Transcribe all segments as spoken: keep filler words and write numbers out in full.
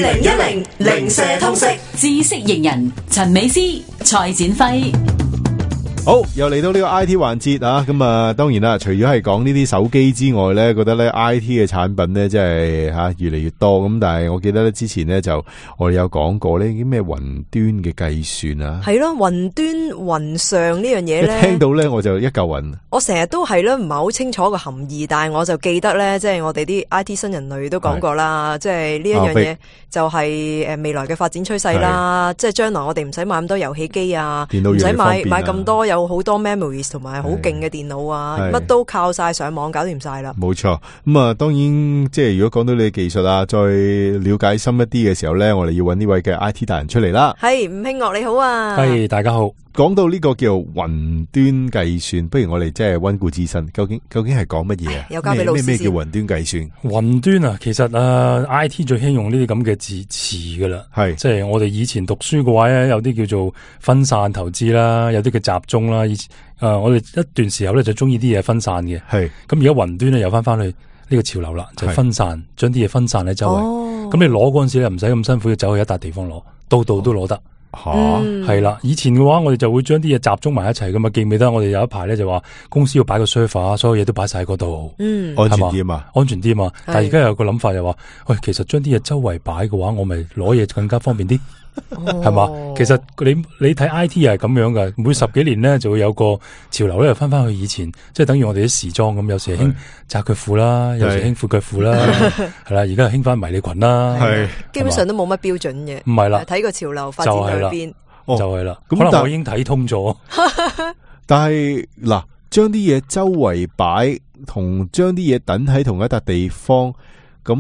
零一零零舍通識知識型人陳美詩、蔡展輝。好，又嚟到呢個 I T 環節啊！咁啊，當然啦，除咗係講呢啲手機之外咧，覺得咧 I T 嘅產品咧，真係吓越嚟越多。咁但係我記得咧之前咧就我哋有講過呢啲咩雲端嘅計算啊，係咯，雲端雲上呢樣嘢咧，一聽到咧我就一嚿雲。我成日都係咧唔係好清楚個含義，但係我就記得咧，即係我哋啲 I T 新人類都講過啦，即係呢一樣嘢就係誒未來嘅發展趨勢啦。即係將來我哋唔使買咁多遊戲機啊，唔使買買咁多有。有好多 memories 同埋好勁嘅電腦啊，乜都靠晒上網搞掂晒啦。冇錯，咁啊，當然即係如果講到你嘅技術啊，再了解深一啲嘅時候咧，我哋要揾呢位嘅 I T 達人出嚟啦。係吳興岳你好啊，係大家好。講到呢個叫雲端計算，不如我哋即係溫故知新，究竟究竟係講乜嘢啊？又交俾老師先。咩咩叫雲端計算？雲端啊，其實誒、呃、I T 最興用呢啲咁嘅字詞噶啦，係即係我哋以前讀書嘅話咧，有啲叫做分散投資啦，有啲叫集中啦。以前誒、呃、我哋一段時候咧就中意啲嘢分散嘅，係咁而家雲端咧又翻翻去呢個潮流啦，就係、分散，將啲嘢分散喺周圍。咁、哦、你攞嗰陣時咧唔使咁辛苦要走去一笪地方攞，度度都攞得。吓，係啦、嗯！以前嘅話，我哋就會將啲嘢集中埋一齊噶嘛。記唔記得我哋有一排咧就話公司要擺個 server，所有嘢都擺晒喺嗰度，嗯，安全啲啊嘛，安全啲啊嘛。但係而家有個諗法就話，喂，其實將啲嘢周圍擺嘅話，我咪攞嘢更加方便啲，係嘛、哦？其實你你睇 I T 又係咁樣噶，每十幾年咧就會有個潮流咧，又翻翻去以前，即係等於我哋啲時裝咁，有時興窄腳褲啦，有時興闊腳褲啦，係啦，而家係興翻迷你裙啦，係基本上都冇乜標準嘅，唔係啦，睇個潮流發展喺邊，就係啦。可能我已經睇通咗，但係嗱，將啲嘢周圍擺，同將啲嘢等喺同一笪地方。咁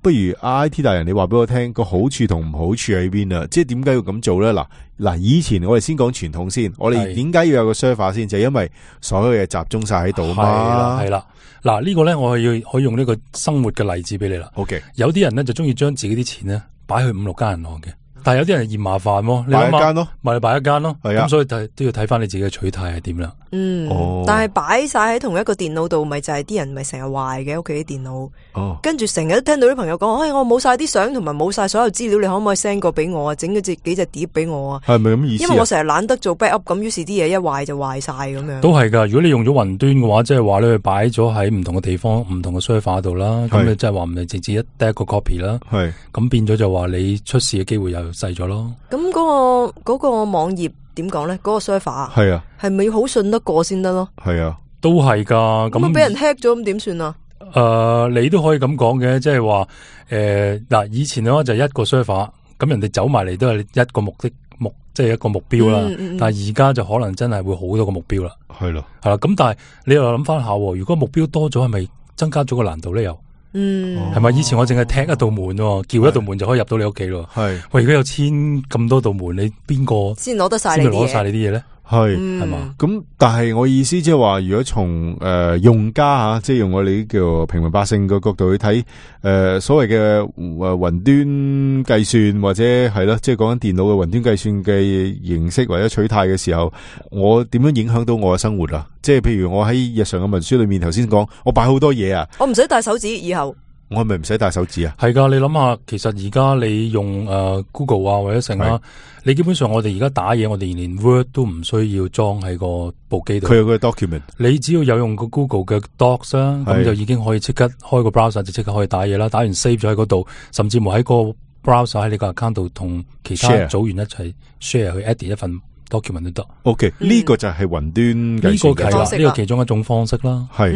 不如 I T 大人，你話俾我聽個好處同唔好處喺邊啊？即係點解要咁做咧？嗱嗱，以前我哋先講傳統先，我哋點解要有個 server 先？就係因為所有嘢集中晒喺度啊嘛。係啦，嗱呢個咧，我係要可以用呢個生活嘅例子俾你啦。OK， 有啲人咧就中意將自己啲錢咧擺去五六間銀行嘅。但係有啲人嫌麻煩喎，擺一間咯，咪你擺一間咯，係啊，咁所以睇都要睇翻你自己嘅取態係點啦。嗯，哦、但係擺晒喺同一個電腦度，咪就係啲人咪成日壞嘅屋企啲電腦。哦，跟住成日都聽到啲朋友講，哎，我冇晒啲相同埋冇晒所有資料，你可唔可以 send 個俾我啊？整嗰隻幾隻碟俾我啊？係咪咁意思？因為我成日懶得做 backup，咁於是啲嘢一壞就壞晒咁樣。都係噶，如果你用咗雲端嘅話，即係話你擺咗喺唔同嘅地方、唔同嘅 server 度啦，咁你即係話唔係直接一得一個 copy 啦。係，咁變咗就話你出事嘅機會又細咗咯。咁嗰、嗰個嗰、嗰個網頁點講咧？嗰、嗰個 server 係啊，係咪要好信得過先得咯？係啊，都係噶。咁俾人 hack 咗，咁點算啊？誒、呃，你都可以咁講嘅，即係話誒嗱，以前嘅話就一個 server，咁人哋走埋嚟都係一個目的目，即係一個目標啦。嗯嗯嗯，但係而家就可能真係會好多個目標啦。係咯，係啦。咁但係你又諗翻下，如果目標多咗，係咪增加咗個難度咧？又？嗯，係咪以前我淨係踢一道門，叫一道門就可以入到你屋企咯？係，喂，而家有千咁多道門，你邊個先攞得晒？先攞晒你啲嘢咧？係係嘛？咁但係我意思即係話，如果從誒、呃、用家吓，即係用我哋啲叫平民百姓嘅角度去睇，誒、呃、所謂嘅誒雲端計算或者係咯，即係講緊電腦嘅雲端計算嘅形式或者取態嘅時候，我點樣影響到我嘅生活啊？即係譬如我喺日常嘅文書裏面，頭先講我擺好多嘢啊，我唔使帶手指以後。我係咪唔使帶手指啊？係噶，你諗下，其實而家你用誒、呃、Google 啊或者成啦，你基本上我哋而家打嘢，我哋連 Word 都唔需要裝喺個部機度。佢有個 document，你只要有用個 Google 嘅 Docs 啦，咁就已經可以即刻開個 browser 就即刻可以打嘢啦。打完 save 咗喺嗰度，甚至乎喺個 browser 喺你個 account 度同其他組員一齊 share 去 edit 一份。document 都得 ，OK，呢個就係雲端計算嘅方式啦，呢個其中一種方式啦。係，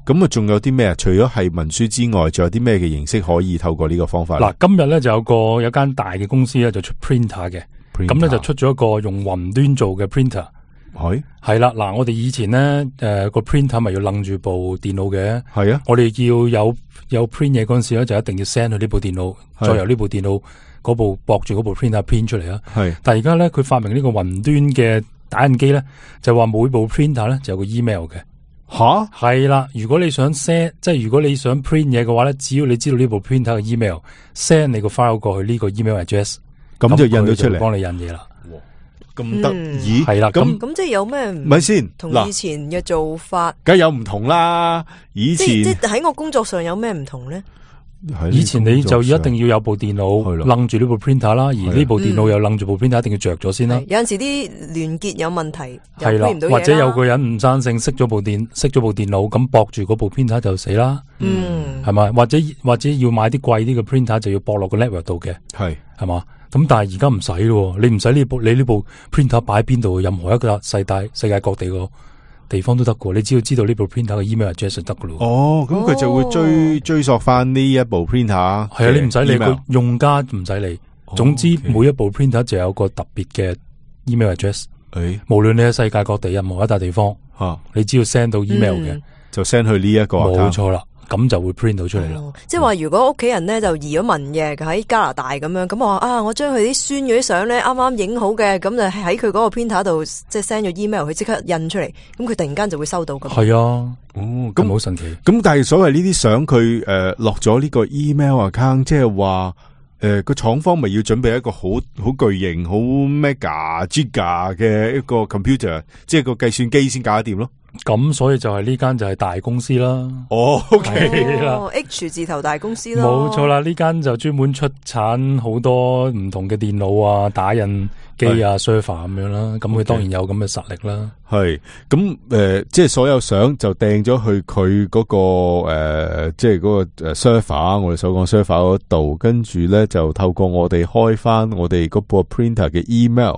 咁啊，仲有啲咩啊？除咗係文書之外，仲有啲咩嘅形式可以透過呢個方法？嗱，今日咧就有個有間大嘅公司咧就出 printer 嘅，咁咧就出咗一個用雲端做嘅 printer。係係啦，嗱，我哋以前咧誒個 printer 咪要楞住部電腦嘅，係啊，我哋要有有 print 嘢嗰陣時咧就一定要 send 去呢部電腦，再由呢部電腦。嗰部駁住嗰部 printer print 出嚟啊！係，但係而家咧佢發明呢個雲端嘅打印機咧，就話每部 printer 咧就有個 email 嘅。吓，係啦，如果你想 send， 即係如果你想 print 嘢嘅話咧，只要你知道呢部 printer 嘅 email，send 你個 file 過去呢個 email address，咁就印咗出嚟，幫你印嘢啦。咁得意係啦，咁咁即係有咩唔係先？同以前嘅做法，梗係有唔同啦。以前即係喺我工作上有咩唔同咧？以前你就一定要有部電腦楞住呢部 printer 啦，而呢部電腦又楞住部 printer 一定要着咗先啦。有陣時啲連結有問題，係啦，或者有個人唔生性，熄咗部電熄咗部電腦，咁駁住嗰部 printer 就死啦。嗯，係咪？或者或者要買啲貴啲嘅 printer 就要駁落個 network 度嘅，係係嘛？咁但係而家唔使咯，你唔使呢部你呢部 printer 擺喺邊度，任何一個世界世界各地個地方都得噶，你只要知道呢部 printer 嘅 email address 就得噶咯。哦，咁佢就會追、哦、追溯翻呢一部 printer。係啊，你唔使理個用家唔使理。總之、哦 okay、每一部 printer 就有個特別嘅 email address。誒、哎，無論你喺世界各地任何一笪地方，啊、你只要 send 到 email 嘅、嗯，就 send 去呢一個。冇錯啦。咁就會 print 到出嚟啦、哦。即係話如果屋企人咧就移咗民嘅喺加拿大咁樣，咁我話啊，我將佢啲孫嗰啲相咧啱啱影好嘅，咁就喺佢嗰個 printer 度即係 send 咗 email，佢即刻印出嚟，咁佢突然間就會收到噶。係啊，哦，咁好神奇。咁但係所謂呢啲相佢誒落咗呢個 email account， 即係話誒個廠方咪要準備一個好好巨型、好 mega giga 嘅一個 computer， 即係個計算機先搞得掂咯。咁所以就係呢間就係大公司啦。哦 ，OK 啦、哦、，H 字頭大公司啦。冇錯啦，呢間就專門出產好多唔同嘅電腦啊、打印機啊、server 咁樣啦。咁佢當然有咁嘅實力啦。係咁誒，即係所有相就掟咗去佢嗰、嗰個誒、呃，即係嗰個誒 server， 我哋所講 server 嗰度，跟住咧就透過我哋開翻我哋嗰部 printer 嘅 email。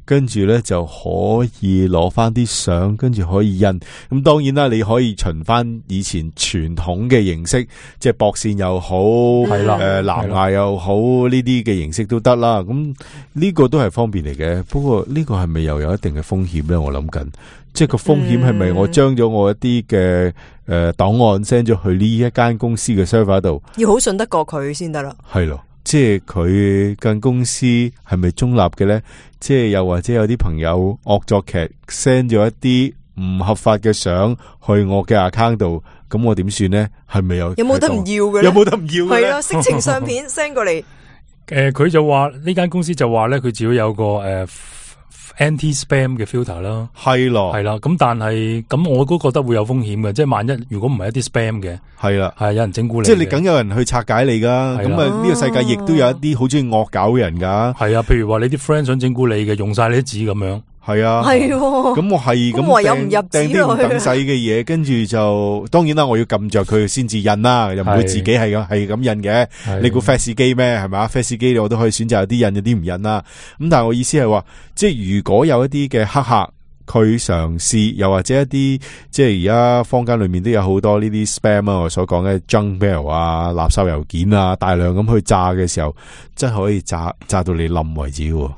跟住咧就可以攞翻啲相，跟住可以印。咁當然啦，你可以循翻以前傳統嘅形式，即係駁線又好，係啦，誒藍牙又好，呢啲嘅形式都得啦。咁呢個都係方便嚟嘅。不過呢個係咪又有一定嘅風險咧？我諗緊，即係個風險係咪我將咗我一啲嘅誒檔案 send 咗去呢一間公司嘅 server 度，要好信得過佢先得啦。係咯。即係佢間公司係咪中立嘅咧？即係又或者有啲朋友惡作劇 send 咗一啲唔合法嘅相去我嘅 account 度，咁我點算咧？係咪有？有冇得唔要嘅？有冇得唔要嘅？係啊，色情相片 send 過嚟。誒、呃，佢就話呢間公司就話咧，佢只要有個誒。呃Anti-spam 嘅 filter 啦，係咯，係啦，咁但係咁我都覺得會有風險嘅，即係萬一如果唔係一啲 spam 嘅，係啦，係有人整蠱你，即係你梗有人去拆解你噶，咁啊呢個世界亦都有一啲好中意惡搞嘅人噶，係啊，譬如話你啲 friend 想整蠱你嘅，用晒你啲紙咁樣。係啊，係咁我係咁唯有唔入掟啲唔等使嘅嘢，跟住就當然啦，我要撳着佢先至印啦，又唔會自己係咁係咁印嘅。你估 fax 機咩？係咪 fax 機我都可以選擇有啲印，有啲唔印啦。咁但係我意思係話，即係如果有一啲嘅黑客，佢嘗試又或者一啲即係而家坊間裏面都有好多呢啲 spam 啊，我所講嘅 junk mail 啊、垃圾郵件啊，大量咁去炸嘅時候，真係可以炸炸到你冧為止喎。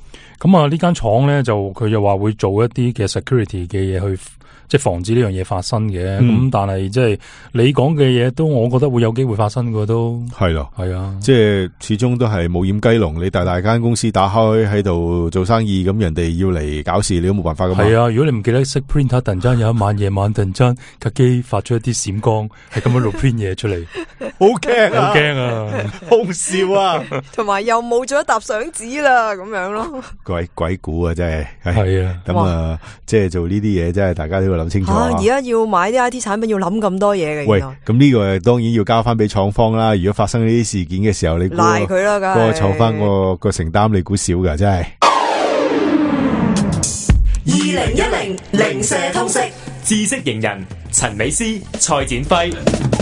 咁啊，呢間廠咧就佢又話會做一啲嘅 security 嘅嘢去，即係防止呢樣嘢發生嘅。咁、嗯、但係即係你講嘅嘢都，我覺得會有機會發生嘅都係咯，係啊，即係始終都係冇掩雞籠。你大大間公司打開喺度做生意，咁人哋要嚟搞事，你都冇辦法噶嘛。係啊，如果你唔記得熄 printer，突然間有一晚夜晚突然間架機發出一啲閃光，係咁樣錄 print 嘢出嚟，好驚啊，好驚啊，好笑啊，同埋又冇咗一沓相紙啦，咁樣咯。鬼鬼故啊，真係係啊，咁啊，即係做呢啲嘢，真係大家都要諗清楚。而家要買啲 I T 產品要諗咁多嘢嘅。喂，咁呢個當然要交翻俾廠方啦。如果發生呢啲事件嘅時候，你賴佢啦，嗰個廠翻個個承擔，你估少噶，真係。二零一零零舍通識知識型人陳美詩、蔡展輝。